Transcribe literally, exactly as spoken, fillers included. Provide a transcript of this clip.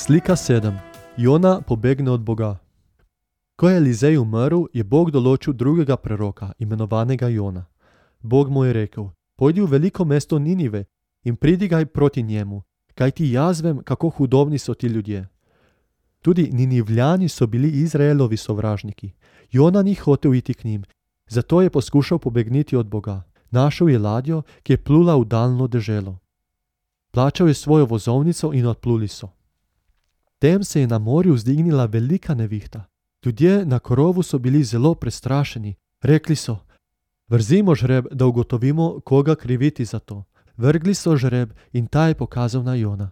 Slika sedem. Jona pobegne od Boga. Ko je Elizej umrl, je Bog določil drugega preroka, imenovanega Jona. Bog mu je rekel: pojdi v veliko mesto Ninive in pridigaj proti njemu, kajti jaz vem, kako hudobni so ti ljudje. Tudi Ninivljani so bili Izraelovi sovražniki. Jona ni hotel iti k njim, zato je poskušal pobegniti od Boga. Našel je ladjo, ki je plula v daljno deželo. Plačal je svojo vozovnico in odpluli so. Tem se je na morju vzdignila velika nevihta. Ljudje na korovu so bili zelo prestrašeni. Rekli so: vrzimo žreb, da ugotovimo, koga kriviti za to. Vrgli so žreb in ta je pokazal na Jona.